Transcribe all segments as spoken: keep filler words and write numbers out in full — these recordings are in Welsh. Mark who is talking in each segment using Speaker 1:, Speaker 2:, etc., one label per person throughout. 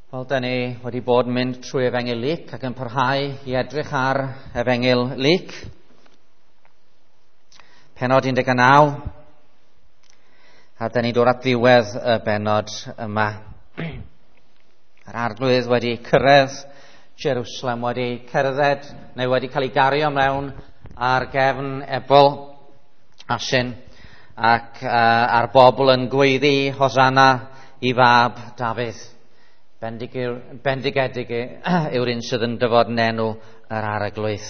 Speaker 1: Wel, da ni wedi bod yn mynd trwy Efengyl Luc ac yn parhau i edrych ar Efengyl Luc. Pennod un deg naw. A da ni'n dod at ddiwedd y bennod yma. Yr Arglwydd wedi cyrraedd Jerusalem, wedi cerdded neu wedi cael ei gario mewn ar gefn ebol asyn ac uh, a'r bobl yn gweiddi Hosanna i fab Dafydd. Bendigedig yw'r un sydd yn dyfod yn enw yr Arglwydd.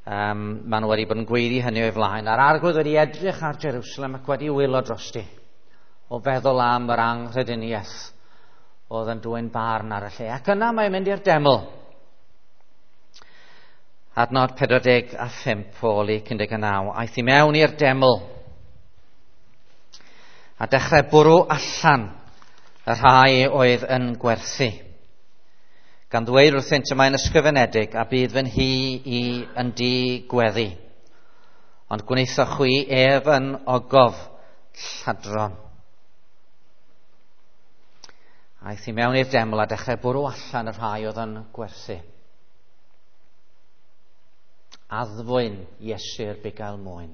Speaker 1: Um, maen nhw wedi bod yn gweiddi hynny o'i flaen. A'r Arglwydd wedi edrych ar Jerusalem ac wedi wylo drosti o feddwl am yr anghrediniaeth oedd yn dwyn barn ar y lle. Ac yna mae'n mynd i'r deml. Adnod pedwar deg a phump o Luc un deg naw. Aeth i mewn i'r deml a dechrau bwrw allan y rhai oedd yn gwerthu, gan ddweud wrthynt y mae'n ysgrifenedig a bydd fy nhŷ i yn di gweddi, ond gwnaethoch chwi ef yn ogof lladron. Aeth i mewn i'r deml a dechrau bwrw allan y rhai oedd yn gwerthu. Addfwyn Iesu'r bugail mwyn.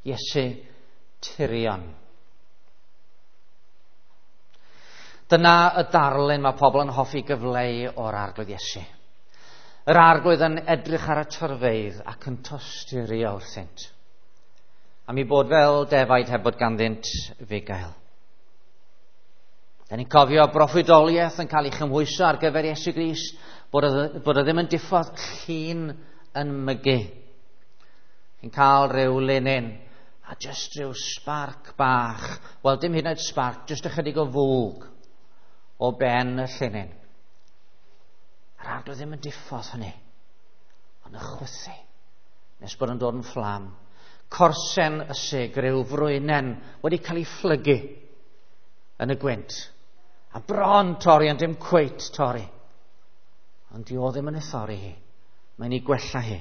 Speaker 1: Iesu tirion. Dyna y darlun mae pobl yn hoffi gyfleu o'r Arglwydd Iesu. Yr Arglwydd yn edrych ar y torfeydd ac yn tosturio wrthynt, am eu bod fel defaid heb bod ganddynt fugail. Da ni'n cofio broffwydoliaeth yn cael ei chymhwyso ar gyfer Iesu Grist, bod o, bod o ddim yn diffodd llun yn mygu. Chi'n cael rhyw linyn a jyst rhyw sparc bach. Wel, dim hyd yn oed sparc, jyst ychydig o fwg o ben y llinyn. Yr Arglwydd ddim yn diffodd hynny, ond y chwythu, nes bod yn dod yn fflam. Corsen ysig, rhyw frwynen wedi cael ei phlygu yn y gwynt. A bron torri, ond dim cweit torri. Ond di o ddim yn ei thorri hi. Mae'n ei gwella hi.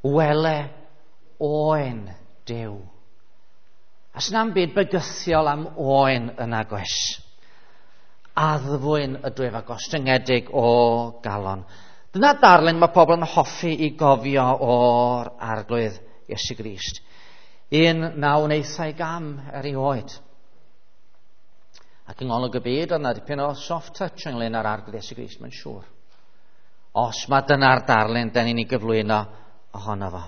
Speaker 1: Wele oen Duw. A sna'm byd bygythiol am oen yn agos. Addfwyn ydw ef a gostyngedig o galon. Dyna darlun mae pobl yn hoffi i gofio o'r Arglwydd Iesu Grist. Un na wnaethai gam erioed. Ac yng ngolwg y byd, oedd yna dipyn o soft touch ynglyn â'r Arglwydd Iesu Grist, mae'n siŵr. Os mae dyna'r darlun, da ni'n ei gyflwyno ohono fo.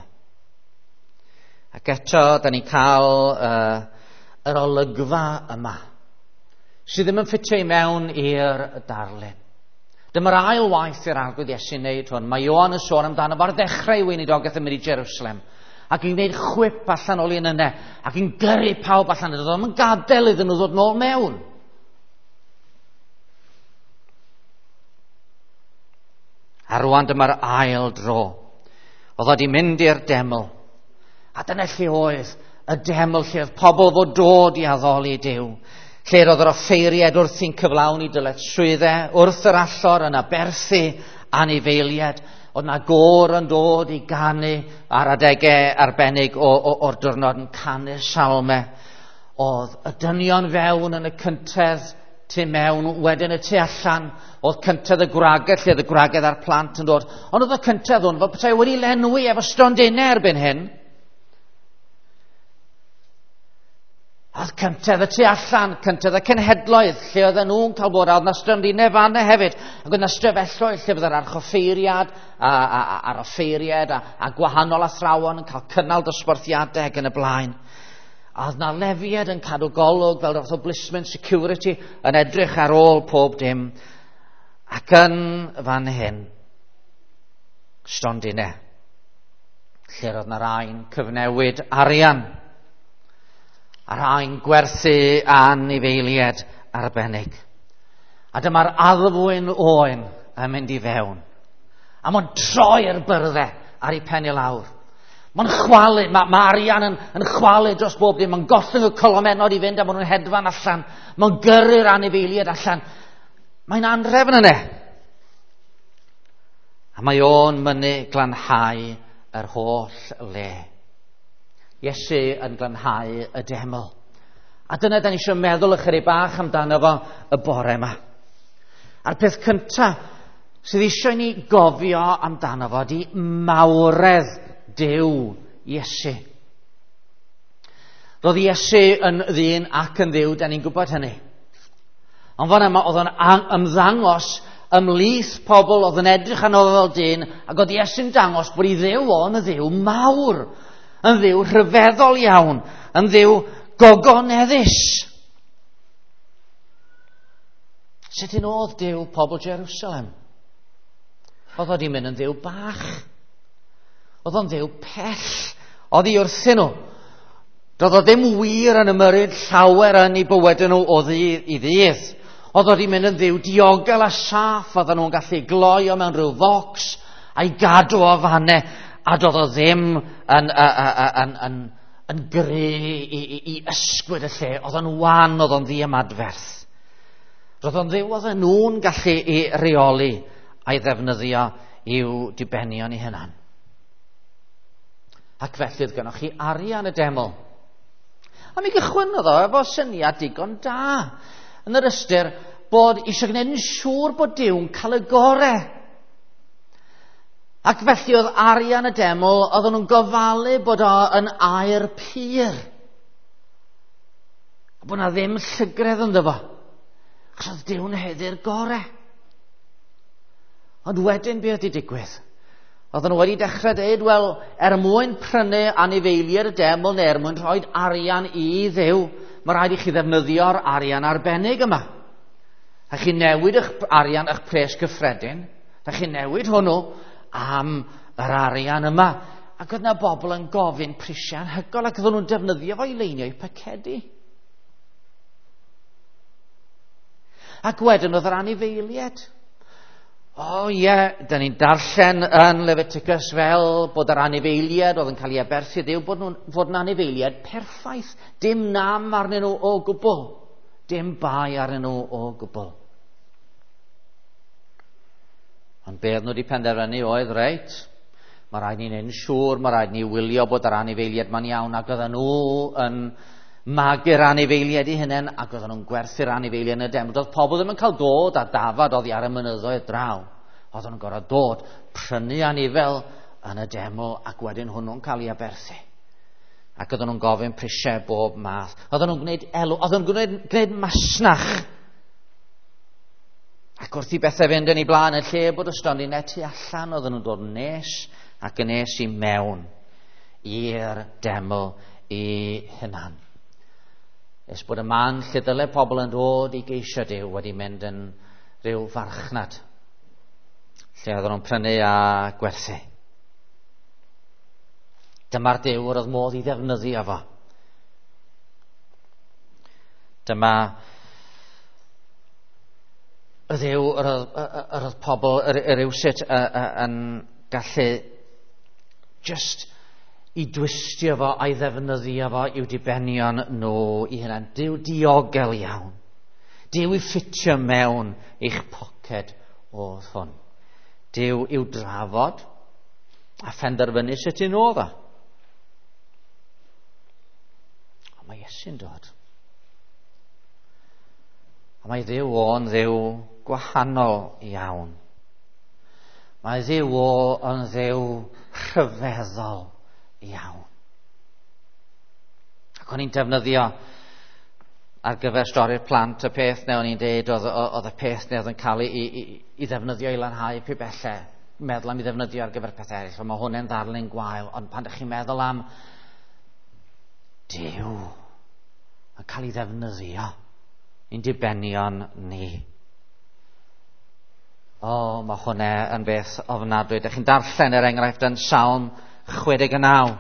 Speaker 1: Ac eto, da ni'n cael uh, yr olygfa yma, sydd ddim yn ffitio i mewn i'r darlun. Dyma'r ail waith i'r Arglwydd Iesu wneud hwn. Mae Ioan yn sôn amdano fo ar ddechrau ei weinidogaeth yn mynd i Jerusalem, ac yn gwneud chwip allan o lun yna, ac yn gyrru pawb allan iddo, ddim yn gadael iddyn nhw ddod nôl mewn. A rwan dyma'r ail dro. Oedd wedi mynd i'r deml. A dyna lle oedd y deml, lle oedd pobl fod dod i addoli Duw. Lle roedd yr offeiriaid wrthi'n cyflawni dyletswyddau, wrth yr allor yn aberthu anifeiliaid. Oedd na gôr yn dod i ganu ar adegau arbennig o, o, o'r diwrnod yn canu salmau. Oedd y dynion fewn yn y cyntedd tu mewn, wedyn y tu allan. Oedd cyntedd y gwragedd, lle oedd y gwragedd a'r plant yn dod. Ond oedd y cyntedd hwn fel petai wedi lenwi efo stondinau erbyn hyn. Oedd cyntedd y tu allan, cyntedd y cenhedloedd, lle oedden nhw'n cael bod, a oedd na stondinau fanna hefyd, ac oedd na stafelloedd lle fydde'r archoffeiriad a, a, a, a'r offeiriad a, a gwahanol athrawon yn cael cynnal dosbarthiadau ac yn y blaen. A oedd na lefiad yn cadw golwg fel fath o blisman security yn edrych ar ôl pob dim. Ac yn fan hyn, stondinau, lle roedd na rai'n cyfnewid arian, a rhai'n gwerthu anifeiliaid arbennig. A dyma'r addfwyn oen yn mynd i fewn. A mae'n troi'r byrddau ar ei pen i lawr. Mae'n chwalu, mae, mae arian yn, yn chwalu dros bob dim. Mae'n gollwng y colomennod i fynd a maen nhw'n hedfan allan. Mae'n gyrru'r anifeiliaid allan. Mae'n anrefn yna. A mae o'n mynnu glanhau yr holl le. Iesu yn glanhau y deml. A dyna da ni eisiau meddwl ychydig bach amdano fo y bore yma. A'r peth cyntaf sydd eisiau ni gofio amdano fo ydy mawredd Duw Iesu. Roedd Iesu yn ddyn ac yn dduw, da ni'n gwybod hynny. Ond fan yma oedd o'n ymddangos ymhlith pobl oedd yn edrych arno fel dyn, ac oedd Iesu'n dangos bod ei Dduw o'n dduw mawr, yn dduw rhyfeddol iawn, yn dduw gogoneddus. Sut un oedd Duw pobl Jerusalem? Oedd o wedi mynd yn dduw bach. Oedd o'n dduw pell. Oedd hi wrthyn nhw. Doedd o ddim wir yn ymyrryd llawer yn eu bywydau nhw o ddydd i ddydd. Oedd o wedi mynd yn dduw diogel a saff. Oedden nhw'n gallu gloi o mewn rhyw focs a'i gadw o fanne. A doedd o ddim yn, yn, yn, yn, yn gry i, i, i ysgwyd y lle. Oedd o'n wan, oedd o'n ddiymadferth. Roedd o'n dduw oedden nhw'n gallu i reoli a'i ddefnyddio i'w dibenion eu hunan. Ac felly oedd gennych chi arian y deml. A mi gychwynnodd o efo syniad digon da. Yn yr ystyr bod eisiau gwneud yn siŵr bod Duw'n cael y gore. Ac felly oedd arian y deml, oedden nhw'n gofalu bod o yn aur pur. A bod na ddim llygredd ynddo fo. Achos oedd Duw'n haeddu'r gore. Ond wedyn be oedd wedi digwydd? Oedden nhw wedi dechrau dweud, wel, er mwyn prynu anifeiliaid y deml neu er mwyn rhoi arian i Dduw, mae rhaid i chi ddefnyddio'r arian arbennig yma. A chi newid eich arian, eich pres cyffredin, a chi newid hwnnw am yr arian yma. Ac oedd yna bobl yn gofyn prisiau anhygoel ac oedden nhw'n defnyddio fo i leinio eu pacedi. Ac wedyn oedd yr anifeiliaid. O ie, da ni'n darllen yn Leviticus fel bod yr anifeiliaid oedd yn cael ei aberthu Dduw, bod nhw'n fod yn anifeiliaid perffaith. Dim nam arnyn nhw o gwbl. Dim bai arnyn nhw o gwbl. Ond be oedd nhw wedi penderfynu oedd, reit, mae rhaid ni'n neud yn siŵr, mae rhaid ni wylio bod yr anifeiliaid ma'n iawn, ac oedden nhw yn magu'r anifeiliaid eu hunain, ac oedden nhw'n gwerthu'r anifeiliaid yn y deml. Doedd pobl ddim yn cael dod a dafad oddi ar y mynyddoedd draw. Oedden nhw'n gorfod dod, prynu anifel yn y deml, ac wedyn hwnnw'n cael ei aberthu. Ac oedden nhw'n gofyn prisiau bob math. Oedden nhw'n gwneud elw, oedden nhw'n gwneud, gwneud masnach. Ac wrth i bethau fynd yn ei blaen, yn lle bod y stondinau tu allan, oedden nhw'n dod yn nes ac yn nes i mewn i'r deml ei hunan. Nes bod y man lle dyle pobl yn dod i geisio Duw wedi mynd yn rhyw farchnad lle oedden nhw'n prynu a gwerthu. Dyma'r Duw yr oedd modd i ddefnyddio fo. Dyma y Dduw yr oedd, yr oedd pobl yr, yr rywsut yn gallu just i dwistio fo a'i ddefnyddio fo i'w dibenion nhw i hunan. Duw diogel iawn. Duw i ffitio mewn i'ch poced oedd hwn. Duw i'w drafod a phenderfynu sut un oedd o. Ond mae Iesu'n dod. A mae Dduw o'n Dduw gwahanol iawn. Mae Dduw o yn Dduw rhyfeddol iawn. Ac o'n i'n defnyddio ar gyfer stori'r plant y peth neu o'n i'n deud oedd, oedd y peth neu oedd yn cael ei, i, i ddefnyddio i lanhau pibellau. Meddwl am ei ddefnyddio ar gyfer pethau eraill. Ond mae hwnna'n ddarlun gwael. Ond pan ydych chi'n meddwl am Duw yn cael ei ddefnyddio i'n dibenion ni. O, mae hwnna yn beth ofnadwy. Dych chi'n darllen er enghraifft yn Salm chwe deg naw.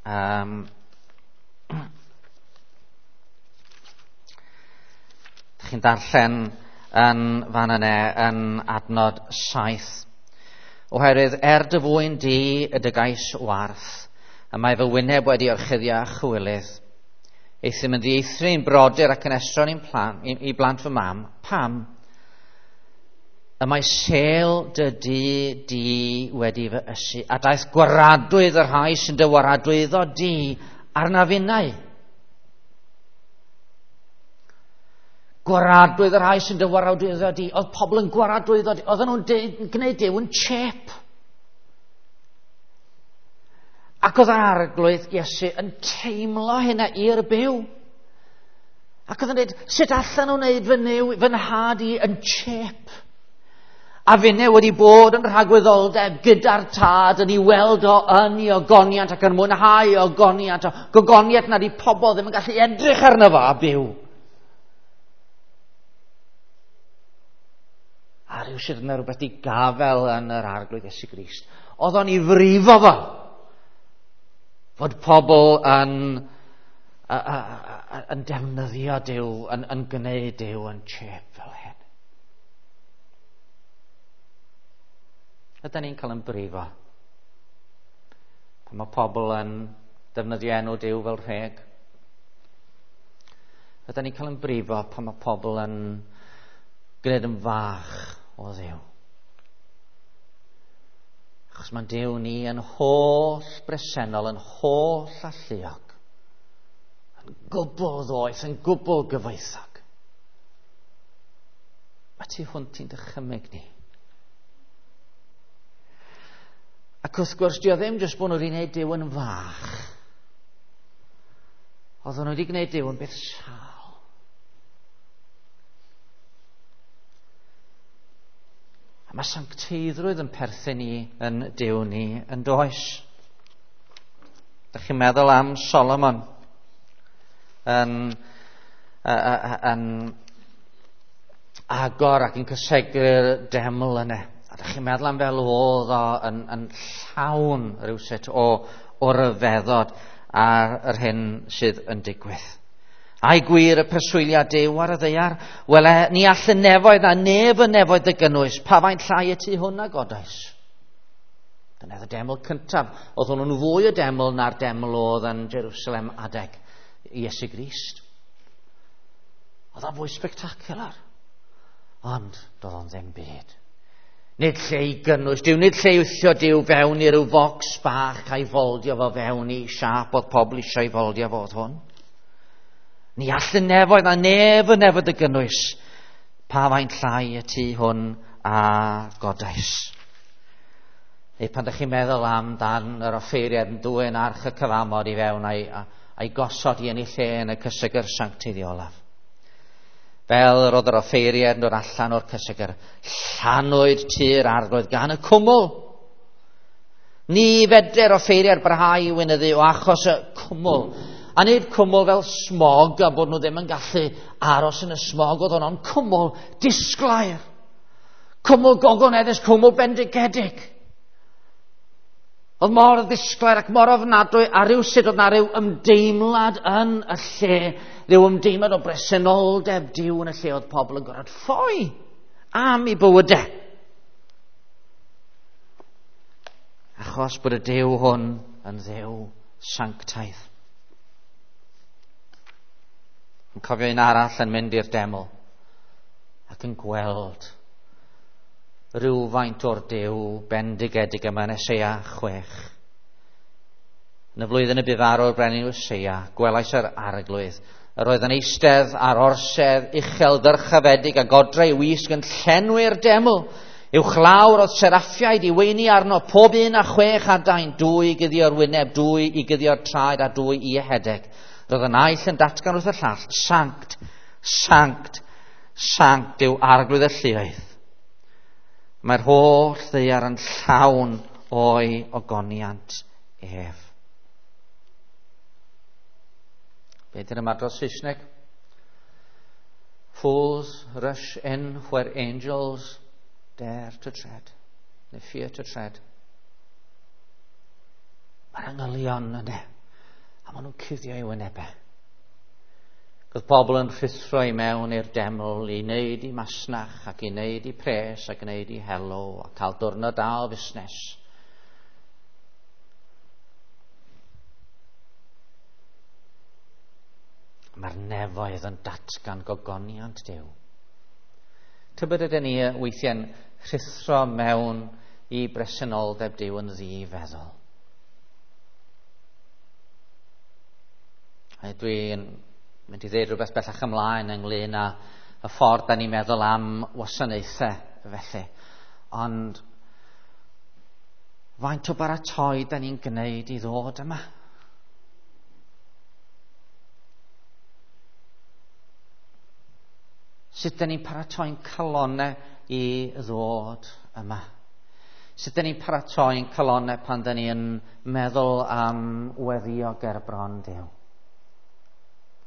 Speaker 1: Um, Dych chi'n darllen yn fan yna yn adnod saith. Oherwydd er dy fwyn di y dy gais warth, y mae fy wyneb wedi orchuddio â chywilydd. Euthum yn ddieithri i'n brodyr ac yn estron i'n plan, i, i blant fy mam. Pam? Y mae sêl dy dŷ di wedi fy ysu, a daeth gwaradwydd y rhai sy'n dy waradwyddo di arna finnau. Gwaradwydd y rhai sy'n dy waradwyddo di. Oedd pobl yn gwaradwyddo di. Oedden nhw'n gwneud Duw yn chep. Ac oedd yr Arglwydd Iesu yn teimlo hynna i'r byw. Ac oedd yn dweud, sut allan nhw'n wneud fy new, fy nhad i yn chep? A finne wedi bod yn rhagwyddoldeb gyda'r tad yn ei weld o yn ei ogoniant ac yn mwynhau ogoniant o gogoniant nad i pobl ddim yn gallu edrych arno fo a byw. A rhywsut yna rhywbeth i gafel yn yr Arglwydd Iesu Grist. Oedd o'n ei frifo fo. Fod pobl yn, a, a, a, yn defnyddio Duw, yn, yn gwneud Duw yn chep fel hyn. Ydy ni'n cael yn brifo? Pan mae pobl yn defnyddio enw Duw fel rheg? Ydy ni'n cael yn brifo pan mae pobl yn gwneud yn fach o Dduw? Achos mae'n Duw ni yn holl bresennol, yn holl alluog, yn gwbl ddoeth, yn gwbl gyfoethog. Mae tu hwnt i'n dychymyg ni. Ac wrth gwrs, dio ddim jyst bod nhw wedi gwneud Duw yn fach. Oedden nhw wedi gwneud Duw yn beth sâl. A mae sancteiddrwydd yn perthyn i yn Duw ni yn does. Dych chi'n meddwl am Solomon yn, yn agor ac yn cysegru'r deml yna. A dych chi'n meddwl am fel oedd o yn, yn llawn rhywsut o, o ryfeddod ar yr hyn sydd yn digwydd. Ai gwir y preswyliad Duw ar y ddaear? Wele, ni all y nefoedd a nef y nefoedd dy gynnwys, pa faint llai y tu hwn a godais. Dyna oedd y deml cyntaf. Oedd hwnnw'n fwy o deml na'r deml oedd yn Jerusalem adeg Iesu Grist. Oedd o'n fwy spectacular. Ond doedd o'n ddim byd. Nid lle i gynnwys Duw, nid lle i wthio Duw fewn i ryw focs bach a'i foldio fo fewn i siâp oedd pobl eisiau ei foldio fo oedd hwn. Ni all y nefoedd a nef y nefoedd y gynnwys, pa faint llai y tu hwn a godais. Neu pan ydych chi'n meddwl am dan yr offeiriad yn dwyn arch y cyfamod i fewn a'i, a'i gosod i yn ei lle yn y cysegr sancteiddiolaf. Fel yr oedd yr offeiriad yn dod allan o'r cysegr, llanwyd tŷ'r Arglwydd gan y cwmwl. Ni fedr offeiriad barhau i weinyddu o achos y cwmwl. A nid cwmwl fel smog a bod nhw ddim yn gallu aros yn y smog, oedd hwnnw'n cwmwl disglair. Cwmwl gogoneddus, cwmwl bendigedig. Oedd mor ddisglair ac mor ofnadwy a rhywsut oedd na rhyw ymdeimlad yn y lle, rhyw ymdeimlad o bresenoldeb Duw yn y lle oedd pobl yn gorfod ffoi am eu bywydau. Achos bod y Duw hwn yn Dduw sanctaidd. Yn cofio un arall yn mynd i'r deml ac yn gweld rhywfaint o'r Duw bendigedig yma yn Eseia chwech. Yn y flwyddyn y bu farw'r brenin Usseia, gwelais yr Arglwydd. Yr oedd yn eistedd ar orsedd uchel ddyrchafedig a godreu wisg yn llenwi'r deml. Uwchlawr oedd seraffiaid i weini arno, pob un a chwech adain, dwy i guddio'r wyneb, dwy i guddio'r traed a dwy i ehedeg. Roedd y naill yn datgan wrth y llall, sanct, sanct, sanct yw Arglwydd y lluoedd. Mae'r holl ddaear yn llawn o'i ogoniant ef. Be di'r ymadrodd Saesneg? Fools rush in where angels dare to tread, neu fear to tread. Mae'r angylion yna, a maen nhw'n cuddio eu wynebau. Oedd pobl yn rhuthro i mewn i'r deml i wneud i masnach ac i wneud i pres ac i wneud i helw a cael diwrnod da o fusnes. Mae'r nefoedd yn datgan gogoniant Duw. Tybed ydyn ni weithiau'n rhuthro mewn i bresenoldeb Duw yn ddifeddwl. A dwi'n mynd i ddweud rhywbeth bellach ymlaen ynglyn â y ffordd da ni'n meddwl am wasanaethau felly. Ond faint o baratoi da ni'n gwneud i ddod yma? Sut da ni'n paratoi'n calonnau i ddod yma? Sut da ni'n paratoi'n calonnau pan da ni'n meddwl am weddio ger bron Duw?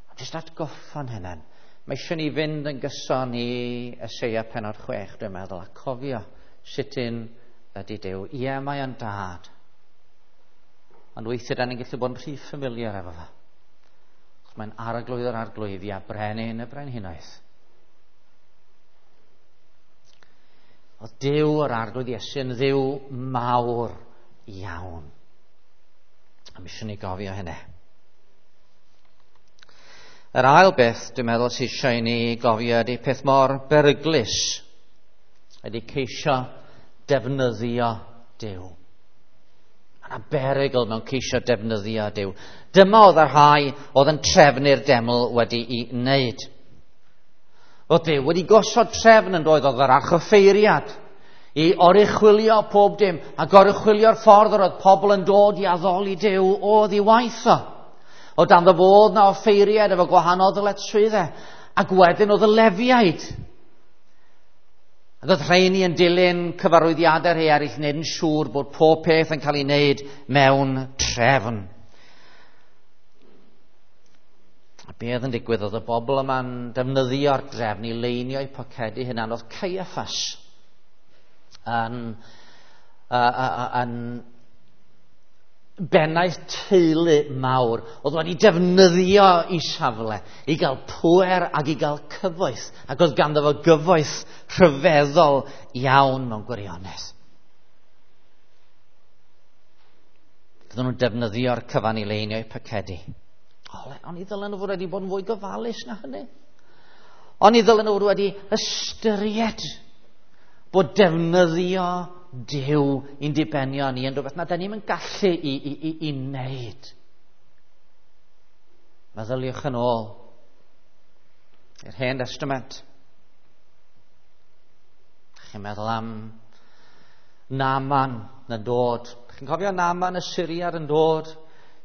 Speaker 1: A jyst atgoffa'n hynny. Mae eisiau ni fynd yn gyson i Eseia pennod chwech, dwi'n meddwl, a cofio sut un ydy Duw. Ie, mae o'n dad. Ond weithiau da ni'n gallu bod yn rhy familiar efo fo. Mae'n arglwydd yr arglwyddi a brenin y brenhinoedd. Oedd Duw yr arglwydd Iesu yn Dduw mawr iawn. A mi eisiau ni gofio hynny. Yr ail beth dwi'n meddwl sydd eisiau i ni gofio ydy peth mor beryglus ydy ceisio defnyddio Duw. Mae yna berygl mewn ceisio defnyddio Duw. Dyma oedd y rhai oedd yn trefnu'r deml wedi'i wneud. Oedd Duw wedi gosod trefn yn doedd, oedd yr archoffeiriad i oruchwylio pob dim a goruchwylio'r ffordd yr oedd pobl yn dod i addoli Duw oedd i waith o. O dan fod na offeiriad efo gwahanol ddyletswyddau, ac wedyn oedd y Lefiaid. Ac oedd rheini yn dilyn cyfarwyddiadau rhai eraill, wneud yn siŵr bod pob peth yn cael ei wneud mewn trefn. A be oedd yn digwydd oedd y bobl yma'n defnyddio'r drefn i leinio eu pocedi hunan. Oedd Caiaffas yn, uh, uh, yn bennaeth teulu mawr oedd wedi defnyddio i safle i gael pŵer ac i gael cyfoeth, ac oedd ganddo fo gyfoeth rhyfeddol iawn mewn gwirionedd. Oedden nhw'n defnyddio'r cyfan i leinio eu pocedi. Ond i ddylen nhw fod wedi bod yn fwy gofalus na hynny. Ond i ddylen nhw fod wedi ystyried bod defnyddio Duw i'n dibenion ni yn rhywbeth na da ni'm yn gallu i, i, i, i wneud. Meddyliwch yn ôl i'r Hen Testament. Chi'n meddwl am Naaman yn dod. Chi'n cofio Naaman y Syriad yn dod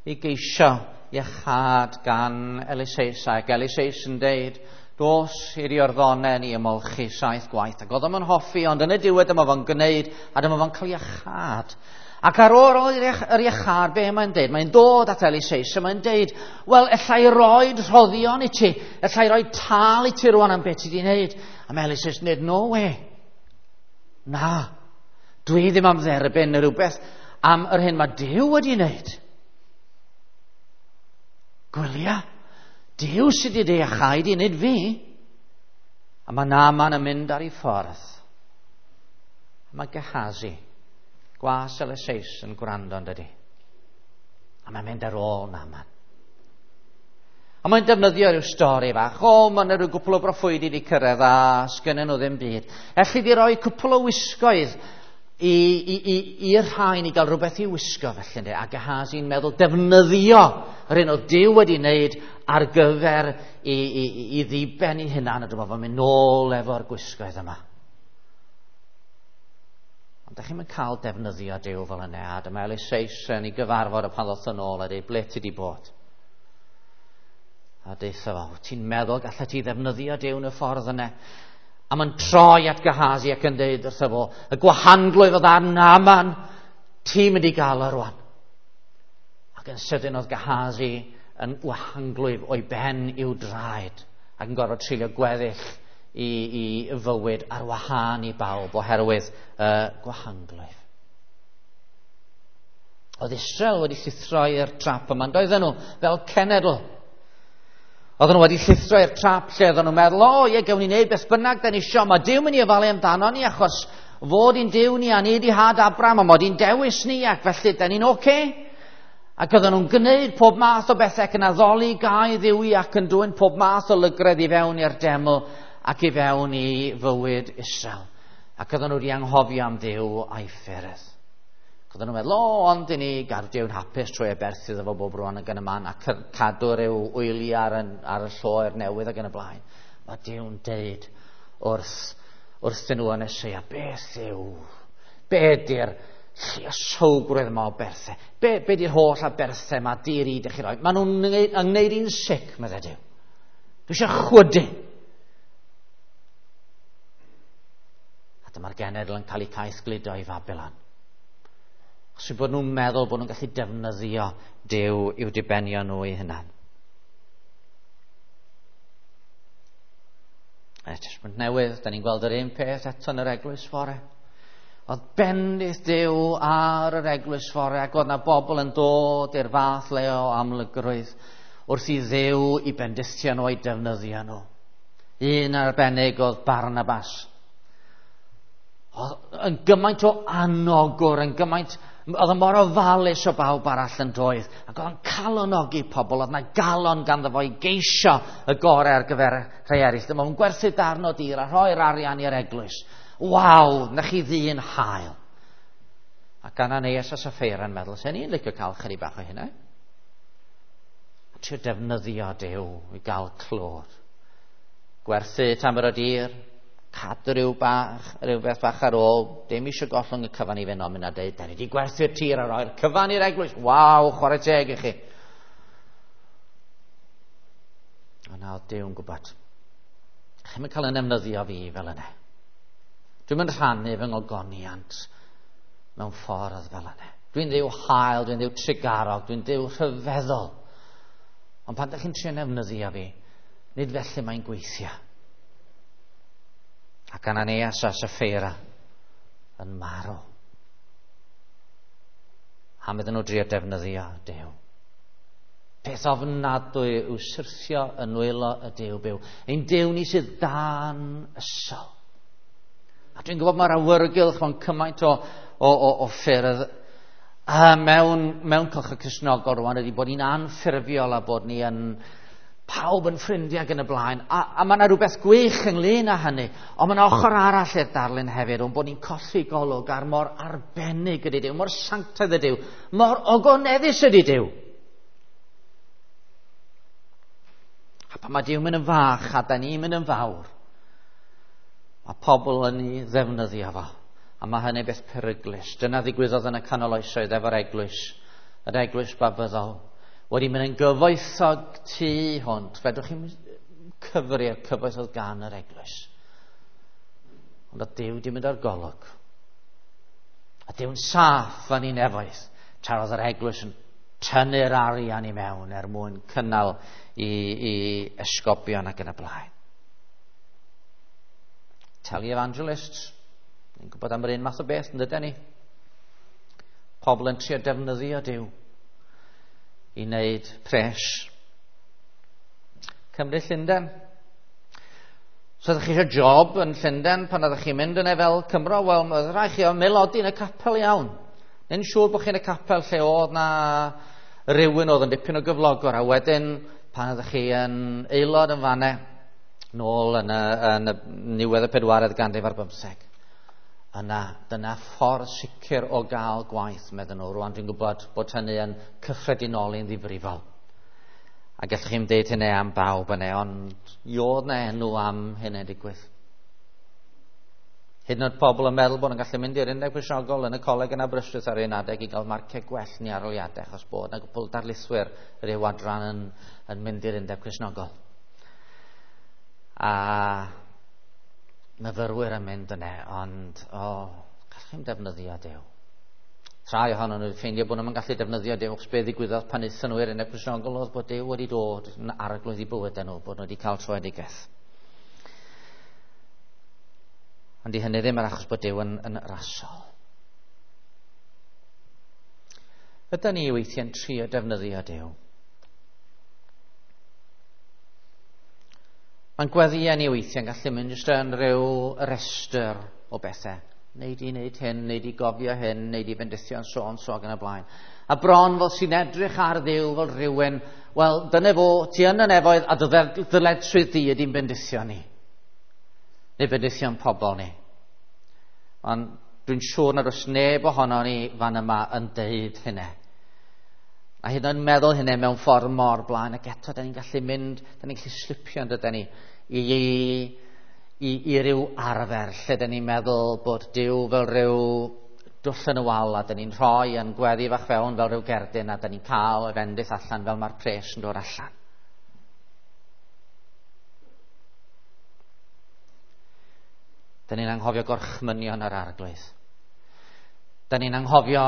Speaker 1: i geisio iachâd gan Eliseus, ac Eliseus yn deud, dos i'r Iorddonen i ymolchi saith gwaith. Ac oedd o'n hoffi, ond yn y diwedd dyma fo'n gwneud, a dyma fo'n cael iachâd. Ac ar ôl yr iachâd, be mae'n deud? Mae'n dod at Eliseus, a mae'n deud, wel, ella i roed rhoddion i ti, ella i roi tâl i ti rwan am beth ti di wneud. A mae Eliseus yn deud, no way. Na, dwi ddim am dderbyn rhywbeth am yr hyn mae Duw wedi wneud. Gwylia, Duw sydd wedi iachau di, nid fi. A mae Naaman yn mynd ar ei ffordd. A mae Gehazi, gwas Eliseus, yn gwrando yn dydi. A mae'n mynd ar ôl Naaman. A mae'n defnyddio rhyw stori fach. O, mae yna rhyw gwpl o broffwydi wedi cyrraedd a sgynnyn nhw ddim byd. Elli di roi cwpl o wisgoedd i, i, i, i'r rhain i gael rhywbeth i wisgo felly. Ynddi? A Gehazi'n meddwl defnyddio yr un o Duw wedi wneud ar gyfer i, i, i ddiben i hunan, a dyma fo'n mynd nôl efo'r gwisgoedd yma. Ond da chi'm yn cael defnyddio Duw fel yna, a dyma Eliseus yn ei gyfarfod a pan ddoth yn ôl a dweud, ble ti di bod? A deutha fo, ti'n meddwl gallet ti ddefnyddio Duw yn y ffordd yna? A mae'n troi at Gehazi ac yn deud wrtho fo, y gwahanglwyf oedd ar Naaman, ti'n mynd i gael o rwan. Ac yn sydyn oedd Gehazi yn wahanglwyf o'i ben i'w draed ac yn gorfod treulio gweddill i, i fywyd ar wahân i bawb oherwydd y uh, gwahanglwyf. Oedd Israel wedi llithro i'r trap yma, doedden nhw fel cenedl. Oedden nhw wedi llithro i'r trap lle oedden nhw'n meddwl, o ie, gawn ni wneud beth bynnag da ni isio, mae Duw mynd i ofalu amdano ni achos fod i'n Duw ni a ni di had Abraham a mod i'n dewis ni ac felly da ni'n oce. Okay. Ac oedden nhw'n gwneud pob math o bethau ac yn addoli gau dduwi ac yn dwyn pob math o lygredd i fewn i'r deml ac i fewn i fywyd Israel. Ac oedden nhw wedi anghofio am Dduw a'i ffyrdd. Ac oedden nhw'n meddwl, o, ond i ni gadw Duw'n hapus trwy aberthu iddo fo bob rwan ac yn y man a cadw rhyw wyliau ar, ar y lloer newydd ac yn y blaen. Mae Duw'n deud wrth, wrthyn nhw yn Eseia, beth yw, be di'r lluosowgrwydd yma o berthau? Be, be di'r holl aberthau yma di-ri dych chi roi? Maen nhw'n gwneud i'n sic, meddai Duw. Dwi eisiau chwydu. A dyma'r genedl yn cael eu caethgludo i Fabilon. Achos bod nhw'n meddwl bod nhw'n gallu defnyddio Duw i'w dibenion nhw eu hunan. Y Testament Newydd, da ni'n gweld yr un peth eto yn yr eglwys fore. Oedd bendith Duw ar yr eglwys fore, ac oedd na bobl yn dod i'r fath le o amlygrwydd wrth i Dduw i bendithio nhw a'i defnyddio nhw. Un arbennig oedd Barnabas. Oedd yn gymaint o anogwr, yn gymaint, oedd yn mor ofalus o bawb arall yn doedd, ac oedd yn calonogi pobl, oedd yna galon ganddo fo i geisio y gorau ar gyfer rhai eraill. Dyma fo'n gwerthu darn o dir a rhoi'r arian i'r eglwys. Waw, na chi ddyn hael. Ac Ananias a Sapphira yn meddwl, sen i'n licio cael chydig bach o hynna. A trio defnyddio Duw i gael clod. Gwerthu tamer o dir, cadw rhyw bach, rhyw beth bach ar ôl, dim eisiau gollwng y cyfan i fynd ond mynd a deud, da ni wedi gwerthu'r tir a roi'r cyfan i'r eglwys. Waw, chwarae teg i chi. Ond na, oedd Duw'n gwybod. Chi'm yn cael yn defnyddio fi fel yna. Dwi'm yn rhannu fy ngogoniant mewn ffordd fel yna. Dwi'n Dduw hael, dwi'n Dduw trugarog, dwi'n Dduw rhyfeddol. Ond pan ydych chi'n trio defnyddio fi, nid felly mae'n gweithio. Ac Ananias a Sapphira yn marw. Am iddyn nhw drio defnyddio Duw. Peth ofnadwy yw syrthio yn nwylo y Duw byw. Ein Duw ni sydd dan ysol. A dwi'n gwybod mae'r awyrgylch mewn cymaint o, o, o, o ffyrdd a mewn, mewn cylch y Cristnogol rwan ydy bod ni'n anffurfiol a bod ni yn pawb yn ffrindiau ac yn y blaen. A, a mae yna rhywbeth gwych ynglyn â hynny, ond mae yna ochr arall i'r darlun hefyd, ond bod ni'n colli golwg ar mor arbennig ydy Duw, mor sanctaidd ydy Duw, mor ogoneddus ydy Duw. A pan mae Duw mynd yn fach a da ni'n mynd yn fawr, mae pobl yn ei ddefnyddio fo. A mae hynny beth peryglus. Dyna ddigwyddodd yn y canol oesoedd efo'r eglwys, yr eglwys Babyddol. Wedi mynd yn gyfoethog tu hwnt. Fedrwch chi'n cyfri'r cyfoeth oedd gan yr eglwys. Ond oedd Duw wedi mynd o'r golwg. A Duw'n saff fan ei nefoedd. Tra oedd yr eglwys yn tynnu'r arian i mewn er mwyn cynnal i, i esgobion ac yn y blaen. Televangelists, ni'n gwybod am yr un math o beth, yn dydyn ni? Pobl yn trio defnyddio Duw i wneud pres. Cymru Llundain. So ydych chi eisiau job yn Llundain pan ydych chi'n mynd yna fel Cymro? Wel, oedd rhaid chi o melodi yn y capel iawn. Neu'n siŵr bod chi'n y capel lle oedd na rhywun oedd yn dipyn o gyflogwr, a wedyn pan ydych chi yn aelod yn fanne, nôl yn y, yn y niwedd y pedwaredd ganrif ar bymtheg. Yna, dyna ffordd sicr o gael gwaith, meddyn nhw. Rwan dwi'n gwybod bod hynny yn cyffredinoli'n ddifrifol. A gallwch chi'm deud hynny am bawb yna, ond iodd na enw am hynny digwydd. Hyd yn oed pobl yn meddwl bod nhw'n gallu mynd i'r Undeb Cristnogol yn y coleg yn Aberystwyth ar un adeg i gael marciau gwell ni arholiadau, achos bod yna gwpl darlithwyr ryw adran yn, yn mynd i'r Undeb Cristnogol. A myfyrwyr yn mynd yna, ond o, oh, gallwch chi'm defnyddio Duw. Rhai ohonyn nhw wedi ffeindio bod nhw'n gallu defnyddio Duw, achos be ddigwyddodd pan aethon nhw i'r Undeb Cristnogol oedd bod Duw wedi dod yn arglwydd i bywydau nhw, bod nhw wedi cael troedigaeth. Ond di hynny ddim yr achos bod Duw yn, yn rasol. Ydy ni weithiau'n trio defnyddio Duw? Mae'n gweddïau ni weithiau'n gallu mynd jyst yn rhyw restr o bethau. Neud i wneud hyn, neud i gofio hyn, neud i fendithio yn so on, so ac yn y blaen. A bron fel sy'n edrych ar Dduw fel rhywun, wel, dyna fo, ti yn y nefoedd a dy ddyledswydd di ydy'n bendithio ni. Neu bendithio'n pobl ni. Ond dwi'n siŵr nad oes neb ohono ni fan yma yn deud hynny. A hyd yn oed meddwl hynny mewn ffordd mor blaen, ac eto da ni'n gallu mynd, da ni'n gallu slipio yn dydyn ni i, i, i ryw arfer lle da ni'n meddwl bod Duw fel rhyw dwll yn y wal, a da ni'n rhoi yn gweddi fach fewn fel rhyw gerdyn, a da ni'n cael y fendith allan fel mae'r pres yn dod allan. Da ni'n anghofio gorchmynion yr Arglwydd. Da ni'n anghofio,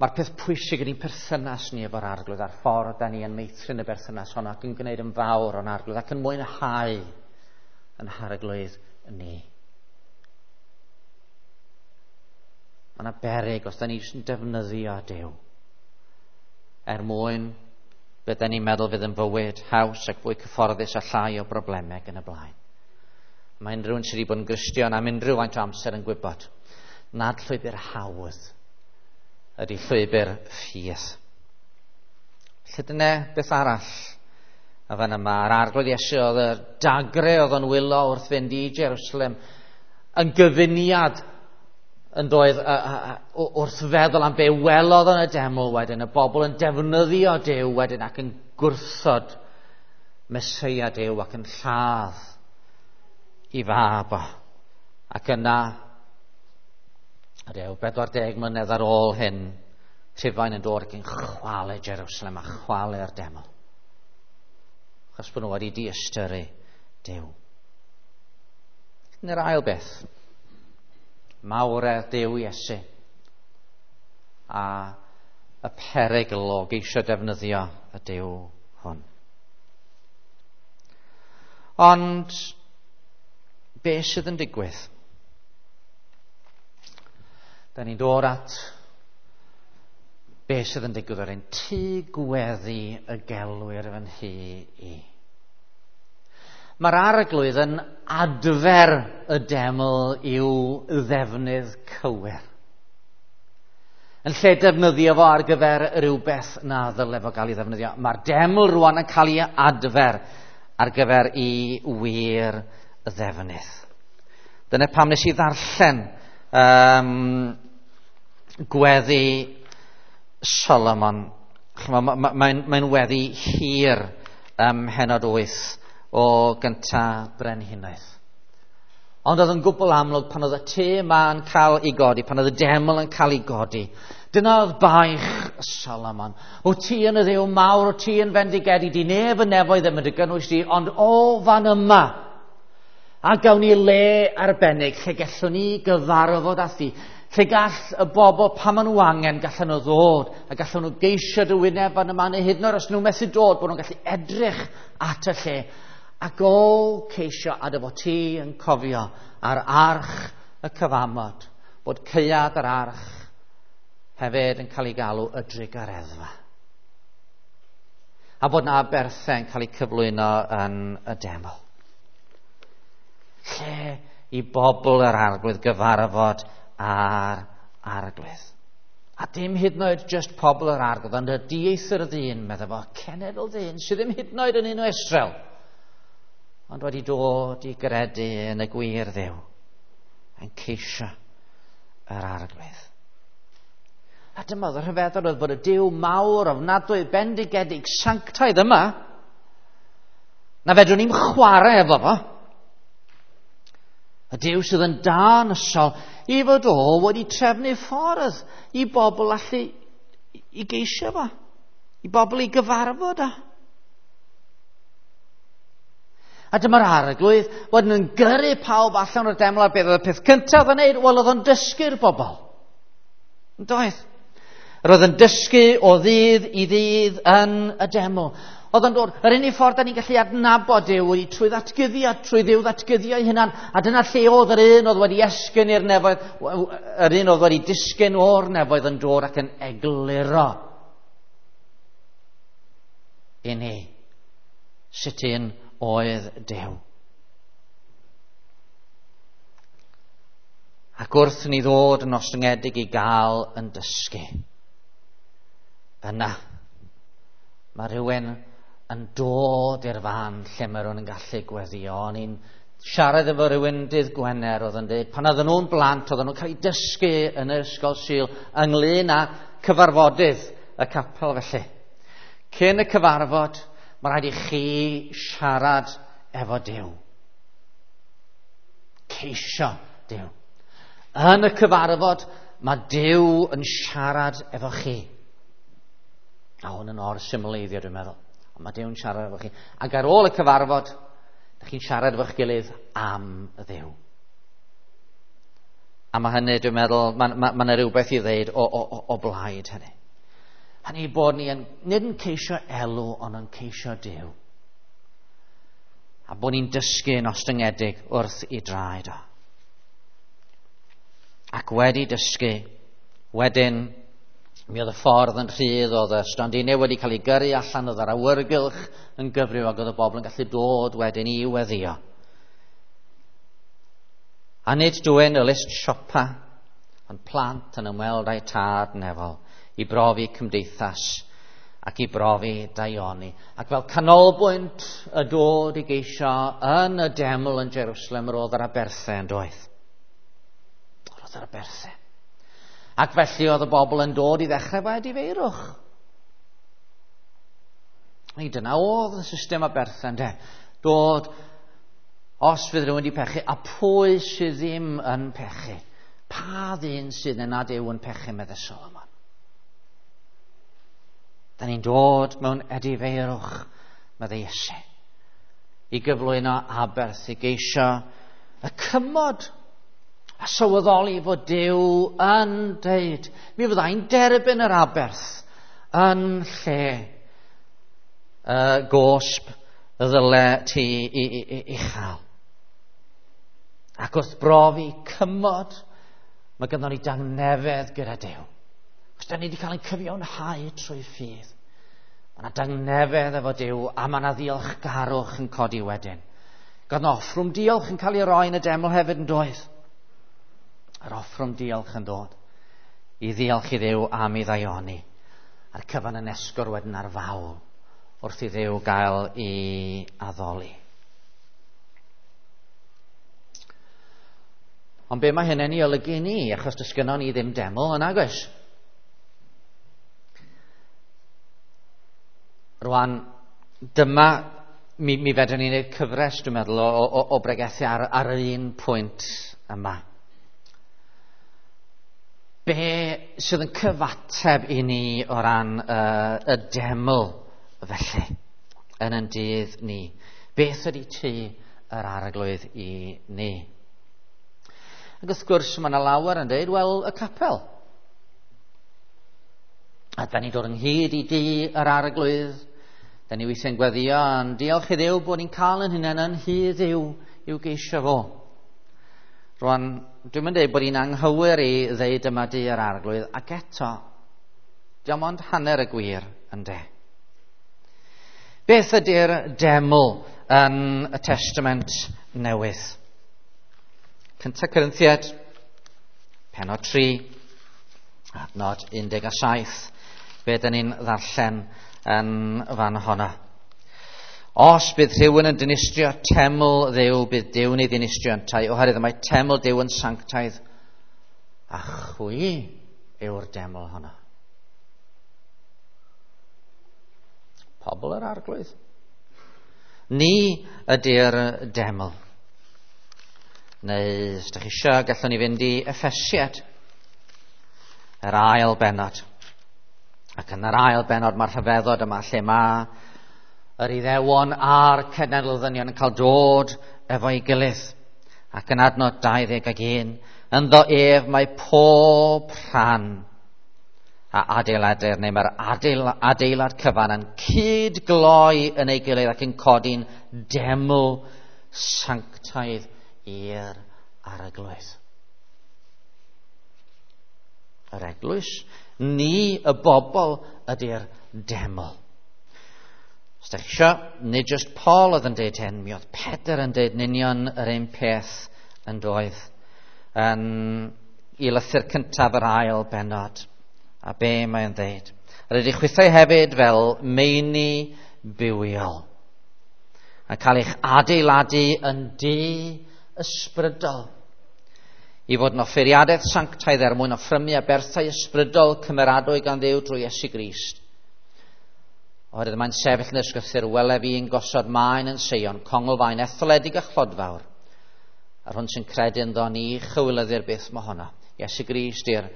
Speaker 1: mae'r peth pwysig yn ein perthynas ni efo'r Arglwydd, a'r ffordd da ni yn meithrin y berthynas honno ac yn gwneud yn fawr o'n Arglwydd ac yn mwynhau yn harglwydd ni. Mae yna beryg os da ni jyst yn defnyddio Duw er mwyn be da ni'n meddwl fydd yn fywyd haws ac fwy cyfforddus a llai o broblemau yn y blaen. Mae unrhyw un sydd wedi bod yn Gristion am unrhyw faint o amser yn gwybod nad llwybr hawdd ydy llwybr ffydd. Felly dyna beth arall a fan yma. Yr Arglwydd Iesu oedd y dagre oedd o'n wylo wrth fynd i Jerusalem yn gyfuniad yn doedd wrth feddwl am be welodd yn y deml wedyn, y bobl yn defnyddio Duw wedyn ac yn gwrthod Meseia Duw ac yn lladd i fab o. Ac yna, rhyw bedwar deg mlynedd ar ôl hyn, Rhufain yn dod ac yn chwalu Jerusalem a chwalu'r deml. Achos bod nhw wedi diystyru Duw. Dyna'r ail beth. Mawredd Duw Iesu a y perygl o geisio defnyddio y Duw hwn. Ond be sydd yn digwydd? Da ni'n dod at be sydd yn digwydd o'r un tŷ gweddi y gelwir fy nhŷ i. Mae'r Arglwydd yn adfer y deml i'w ddefnydd cywir. Yn lle defnyddio fo ar gyfer rhywbeth na ddyle fo gael ei ddefnyddio, mae'r deml rwan yn cael ei adfer ar gyfer ei wir ddefnydd. Dyna pam nes i ddarllen um, gweddi Solomon. Mae'n mae, mae weddi hir ym mhennod wyth o gynta brenhinoedd. Ond oedd yn gwbl amlwg pan oedd y tŷ yma'n cael ei godi, pan oedd y deml yn cael ei godi. Dyna oedd baich Solomon. O ti yn y Dduw mawr, o ti yn fendigedig, di neb yn nefoedd ddim yn dy gynnwys di, ond o fan yma, a gawn ni le arbennig lle gallwn ni gyfarfod â thi, lle gall y bobl pan maen nhw angen, gallan nhw ddod, a gallan nhw geisio dy wyneb fan yma, neu hyd yn oed os nhw methu dod, bod nhw'n gallu edrych at y lle, ac o ceisio a dy fod ti yn cofio ar arch y cyfamod, bod caead yr arch hefyd yn cael ei galw y drugareddfa. A bod na aberthau yn cael eu cyflwyno yn y deml. Lle i bobl yr Arglwydd gyfarfod â'r Arglwydd. A dim hyd yn oed just pobl yr Arglwydd, ond y dieithr ddyn, meddai fo, cenedl ddyn, sydd ddim hyd yn oed yn un o Israel, ond wedi dod i gredu yn y gwir Dduw, yn ceisio yr Arglwydd. A dyma oedd y rhyfeddod oedd bod y Duw mawr, ofnadwy, bendigedig, sanctaidd yma, na fedrwn ni'm chwarae efo fo. Y Duw sydd yn dân ysol i fod o wedi trefnu ffordd i bobl allu i geisio fo, i bobl i gyfarfod o. A dyma'r Arglwydd wedyn yn gyrru pawb allan o'r deml, a beth oedd y peth cyntaf yn neud? Wel, oedd o'n dysgu'r bobl. Yn doedd? Yr oedd yn dysgu o ddydd i ddydd yn y deml. Oedd o'n dod, yr unig ffordd da ni'n gallu adnabod Duw ydy trwy ddatguddiad, trwy Dduw ddatguddio ei hunan. A dyna lle oedd yr un oedd wedi esgyn i'r nefoedd, yr un oedd wedi disgyn o'r nefoedd yn dod ac yn egluro i ni sut un oedd Duw. Ac wrth ni ddod yn ostyngedig i gael yn dysgu, yna mae rhywun yn dod i'r fan lle mae rhywun yn gallu gweddio. O'n i'n siarad efo rhywun dydd Gwener oedd yn dweud, pan oedden nhw'n blant, oedden nhw'n cael eu dysgu yn yr ysgol Sul ynglyn â cyfarfodydd y capel felly. Cyn y cyfarfod, mae rhaid i chi siarad efo Duw. Ceisio Duw. Yn y cyfarfod, mae Duw yn siarad efo chi. A hwn yn or-symleiddio, dwi'n meddwl. Ond mae Duw yn siarad efo chi. Ac ar ôl y cyfarfod, ydych chi'n siarad efo'ch gilydd am y Dduw. A mae hynny, dwi'n meddwl, mae ma, ma yna rhywbeth i ddeud o, o, o, o blaid hynny. Hynny bod ni yn, nid yn ceisio elw, ond yn ceisio Duw. A bod ni'n dysgu yn ostyngedig wrth i draed o. Ac wedi dysgu, wedyn, mi oedd y ffordd yn rhydd, oedd y stondinau wedi cael ei gyrru allan, oedd yr awyrgylch yn gyfrif ac oedd y bobl yn gallu dod wedyn i weddio. A nid dwyn y list siopa, ond plant yn ymweld â'i tad nefol i brofi cymdeithas ac i brofi daioni. Ac fel canolbwynt y dod i geisio yn y deml yn Jerusalem, yr oedd yr aberthau yn doedd. Yr oedd yr aberthau. Ac felly oedd y bobl yn dod i ddechrau efo edifeirwch. Neu dyna oedd y system aberthau, ynde? Dod, os fydd rhywun wedi pechu, a pwy sydd ddim yn pechu? Pa ddyn sydd yn nad yw yn pechu, meddai Solomon? Da ni'n dod mewn edifeirwch, meddai Iesu, i gyflwyno aberth, i geisio y cymod a sylweddoli fod Duw yn deud, mi fyddai'n derbyn yr aberth yn lle y gosb y ddyle ti i, i, i, i chael. Ac wrth brofi cymod, mae gynnon ni dangnefedd gyda Duw. Os da ni wedi cael ein cyfiawnhau trwy ffydd, mae yna dangnefedd efo Duw a mae yna ddiolchgarwch yn codi wedyn. Gath yna offrwm diolch yn cael ei roi yn y deml hefyd yn doedd. Yr offrwm diolch yn dod i ddiolch i Dduw am ei ddaioni. A'r cyfan yn esgor wedyn ar fawl wrth i Dduw gael ei addoli. Ond be mae hynny'n ei olygu i ni? Achos does gynnon ni ddim deml yn agos. Rwan, dyma, mi, mi fedrwn ni wneud cyfres, dwi'n meddwl, o, o, o bregethu ar, ar yr un pwynt yma. Be sydd yn cyfateb i ni o ran uh, y deml felly yn yn dydd ni? Beth ydy tŷ yr Arglwydd i ni? Ac wrth gwrs mae yna lawer yn dweud, wel, y capel. A da ni'n dod ynghyd i dŷ yr Arglwydd. Da ni weithiau'n gweddio, ond diolch i Dduw bod ni'n cael yn hunain yn nhŷ Dduw i'w geisio fo. Rwan, dwi'n mynd dweud bod hi'n anghywir i ddeud yma dŷ yr Arglwydd, ac eto, diolch ond hanner y gwir ynde. Beth ydy'r deml yn y Testament Newydd? Cynta Corinthiaid, pennod tri, adnod un deg saith, be dyn ni'n ddarllen yn fan honna. Os bydd rhywun yn dinistrio teml Dduw, bydd Duw'n ei ddinistrio yntau, oherwydd mae teml Duw yn sanctaidd, a chwi yw'r deml honno. Pobl yr Arglwydd. Ni ydy'r deml. Neu, os ydych chi eisiau, gallwn ni fynd i Effesiad, yr ail bennod. Ac yn yr ail bennod mae'r rhyfeddod yma lle mae yr Iddewon a'r cenedl ddynion yn cael dod efo'i gilydd. Ac yn adnod dau ddeg ac un, ynddo ef mae pob rhan a adeiladir, neu mae'r adeil, adeilad cyfan yn cydgloi yn ei gilydd ac yn codi'n deml sanctaidd i'r Arglwydd. Yr eglwys, ni y bobl ydy'r deml. Os ydych chi eisiau, nid just Paul oedd yn deud hyn, mi oedd Pedr yn deud yn union yr un peth yn doedd yn i lythyr cyntaf yr ail bennod. A be mae'n ddeud? Yr ydych chwithau hefyd fel meini bywiol, a cael eich adeiladu yn dŷ ysbrydol, i fod yn offeiriadaeth sanctaidd er mwyn offrymu aberthau ysbrydol cymeradwy gan Dduw drwy Iesu Grist. Oherwydd mae'n sefyll yn yr ysgrythur, wele fi yn gosod maen yn Seion, conglfaen etholedig a chlodfawr. A'r hwn sy'n credu ynddo ni chywilyddir byth mohono. Iesu Grist yw'r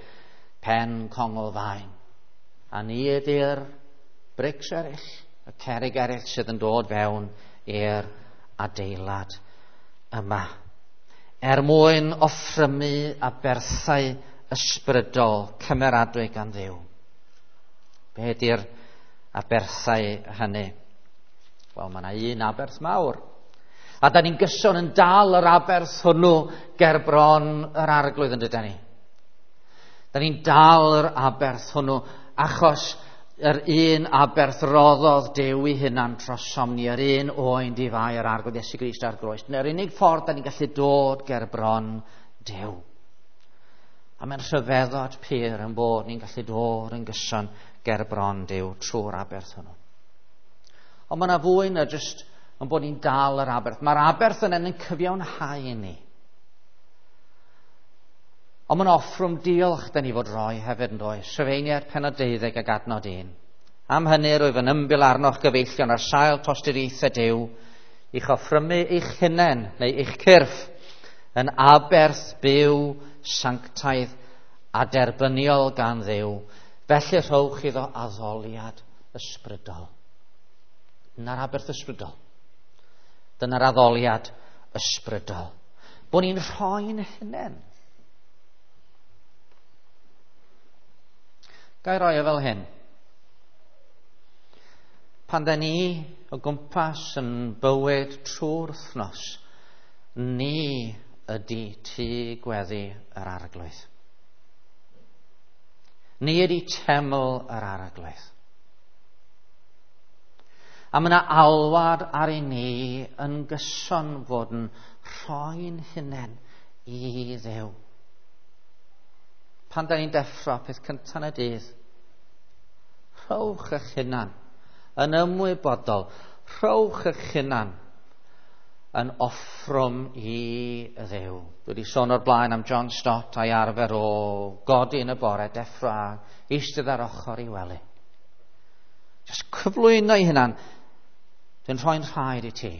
Speaker 1: pen conglfaen. A ni ydy'r brics eraill, y cerrig eraill sydd yn dod fewn i'r adeilad yma. Er mwyn offrymu aberthau ysbrydol cymeradwy gan Dduw. Be ydy'r aberthau hynny? Wel, mae yna un aberth mawr. A da ni'n gyson yn dal yr aberth hwnnw ger bron yr Arglwydd, yn dydan ni. Da ni'n dal yr aberth hwnnw achos yr un aberth roddodd Duw i hunan trosom ni, yr un oen di-fai yr Arglwydd Iesu Grist ar groes. Dyna'r unig ffordd da ni'n gallu dod ger bron Duw. A mae'n rhyfeddod pur yn bod ni'n gallu dod yn gyson ger bron Duw trwy'r aberth hwnnw. Ond mae yna fwy na jyst yn bod ni'n dal yr aberth. Mae'r aberth yna yn cyfiawnhau i ni. Ond mae'n offrwm diolch da ni fod roi hefyd yn does. Rhufeiniaid pennod deuddeg ag adnod un. Am hynny rwyf yn ymbil arnoch gyfeillion ar sail tosturiaethau Duw i'ch offrymu eich hunain neu eich cyrff yn aberth byw sanctaidd a derbyniol gan Dduw. Felly rhowch iddo addoliad ysbrydol. Dyna'r aberth ysbrydol. Dyna'r addoliad ysbrydol. Bod ni'n rhoi'n hunain. Ga i roi e fel hyn. Pan da ni o gwmpas yn bywyd trwy'r wythnos, ni ydy tŷ gweddi yr Arglwydd. Ni ydy teml yr Arglwydd. A mae yna alwad ar i ni yn gyson fod yn rhoi'n hunain i Dduw. Pan da ni'n deffro peth cyntaf yn y dydd, rhowch eich hunan yn ymwybodol, rhowch eich hunan yn offrwm i Dduw. Dwi wedi sôn o'r blaen am John Stott a'i arfer o godi yn y bore, deffro a eistedd ar ochr i wely. Just cyflwyno i hunan, dwi'n rhoi'n rhaid i ti.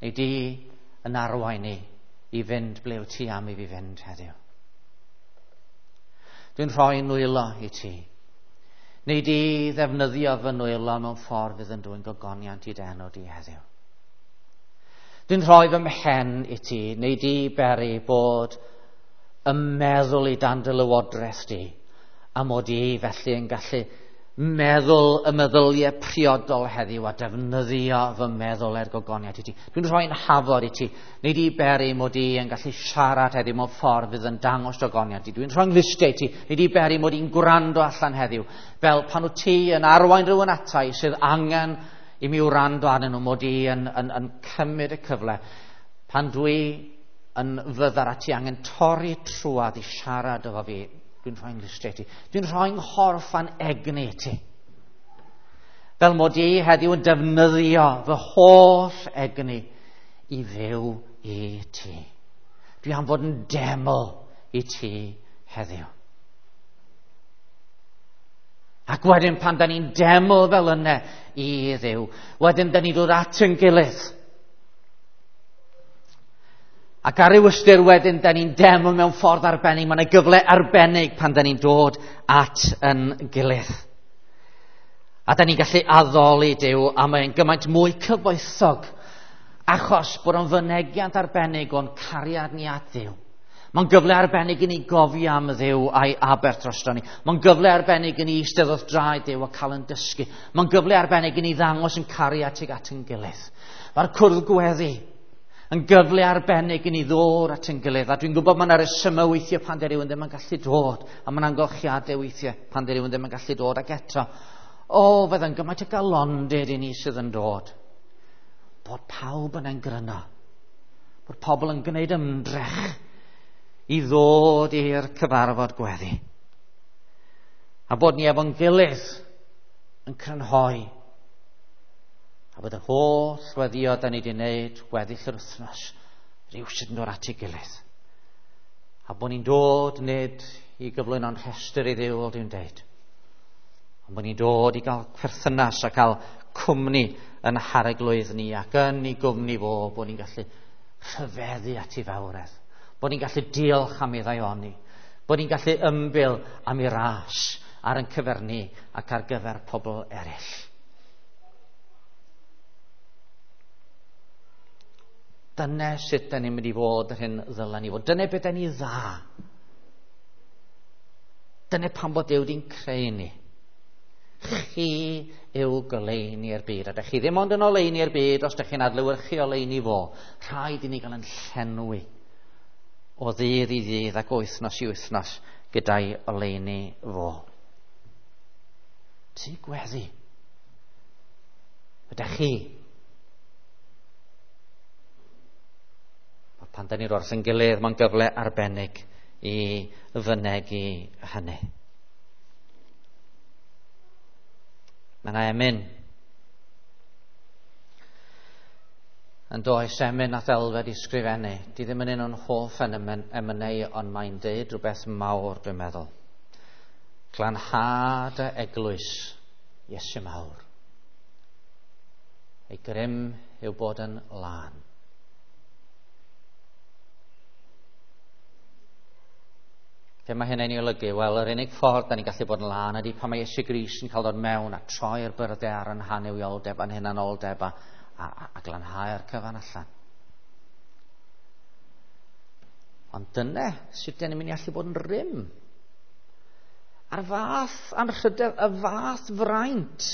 Speaker 1: Neu di yn arwain i i fynd ble wyt ti am i fi fynd heddiw. Dwi'n rhoi nwylo i ti. Neu di ddefnyddio fy nwylo mewn ffordd fydd yn dwyn gogoniant i dy enw di heddiw. Dwi'n rhoi fy mhen i ti, neu di beri bod y meddwl i dan dy lywodraeth di, a mod i felly yn gallu meddwl y meddyliau priodol heddiw a defnyddio fy meddwl er gogoniant i ti. Dwi'n rhoi'n hafod i ti, neu di beri mod i yn gallu siarad heddiw mewn ffordd fydd yn dangos gogoniant i ti. Dwi'n rhoi'n nglustiau i ti, neu di beri mod i'n gwrando allan heddiw, fel pan wyt ti yn arwain rhywun ata i sydd angen i mi wrando arnyn nhw, mod i yn, yn, yn cymryd y cyfle. Pan dwi yn fyddar a ti angen torri trwad i siarad efo fi, dwi'n rhoi'n nglustiau i ti. Dwi'n rhoi'n nghorff a'n egni i ti. Fel mod i heddiw yn defnyddio fy holl egni i fyw i ti. Dwi am fod yn deml i ti heddiw. Ac wedyn pan da ni'n deml fel yna i Dduw, wedyn da ni'n dod at yn gilydd. Ac ar ryw ystyr wedyn, da ni'n deml mewn ffordd arbennig. Mae yna gyfle arbennig pan da ni'n dod at yn gilydd. A da ni'n gallu addoli Duw, a mae'n gymaint mwy cyfoethog, achos bod o'n fynegiant arbennig o'n cariad ni at Dduw. Mae'n gyfle arbennig i ni gofio am Dduw a'i aberth drosto ni. Mae'n gyfle arbennig i ni eistedd wrth draed Duw a cael yn dysgu. Mae'n gyfle arbennig i ni ddangos yn cariad tuag at yn gilydd. Mae'r cwrdd gweddi yn gyfle arbennig i ni ddod at yn gilydd. A dwi'n gwybod mae yna resymau weithiau pan 'di rhywun ddim yn gallu dod, a mae yna amgylchiadau weithiau pan 'di rhywun ddim yn gallu dod. Ac eto, o, fydd yn gymaint o galondid i ni sydd yn dod. Bod pawb yn engryno. Bod pobl yn gwneud ymdrech i ddod i'r cyfarfod gweddi. A bod ni efo'n gilydd yn crynhoi. A bod yr holl weddio da ni wedi wneud weddill yr wythnos rhywsut yn dod at ei gilydd. A bod ni'n dod nid i gyflwyno'n rhestr i Dduw, fel dwi'n deud, Ond bod ni'n dod i gael perthynas a cael cwmni yn harglwydd ni ac yn ei gwmni fo, bod ni'n gallu rhyfeddu at ei fawredd, bod ni'n gallu diolch am ei ddaioni, bod ni'n gallu ymbil am ei ras ar ein cyfer ni ac ar gyfer pobl eraill. Dyna sut da ni'n mynd i fod yr hyn ddylen ni fod. Dyna beth da ni dda. Dyna pam bod Duw wedi'n creu ni. Chi yw goleuni'r byd. A dych chi ddim ond yn oleuni'r byd os dych chi'n adlewyrchu oleuni fo. Rhaid i ni gael yn llenwi o ddydd i ddydd ac wythnos i wythnos gyda'i oleuni fo. Ti gweddi. Ydych chi? Pan da ni'n wrth yn gilydd, mae'n gyfle arbennig i fynegi hynny. Mae yna emyn. Yn does, emyn nath Elfed i sgrifennu. Di ddim yn un o'n hoff emynau, ond mae'n deud rhywbeth mawr, dwi'n meddwl. Glanhad y eglwys, Iesu mawr. Ei grym yw bod yn lân. Be mae hynny'n ei olygu? Wel, yr unig ffordd da ni'n gallu bod yn lân ydy pan mae Iesu Grist yn cael dod mewn a troi'r byrddau ar yn hanuwioldeb a'n hunanoldeb a, a, a, a glanhau'r cyfan allan. Ond dyna sut da ni'n mynd i allu bod yn rym. A'r fath anrhydedd, y fath fraint.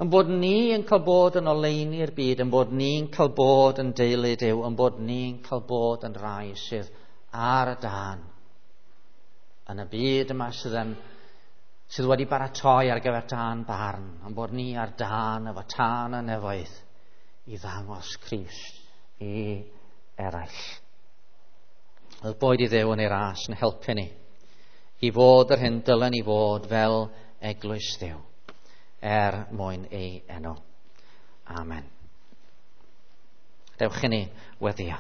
Speaker 1: Yn bod ni yn cael bod yn oleuni'r byd, yn bod ni'n cael bod yn deulu Duw, yn bod ni'n cael bod yn rai sydd ar y dân yn y byd yma sydd, yn, sydd wedi baratoi ar gyfer tân barn, ond bod ni ar dân efo tân y nefoedd i ddangos Crist i eraill. Oedd boed i Dduw yn ei ras yn helpu ni i fod yr hyn dylen ni fod fel eglwys Dduw er mwyn ei enw. Amen. Dewch i ni weddio.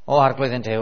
Speaker 1: O Arglwydd ein Duw,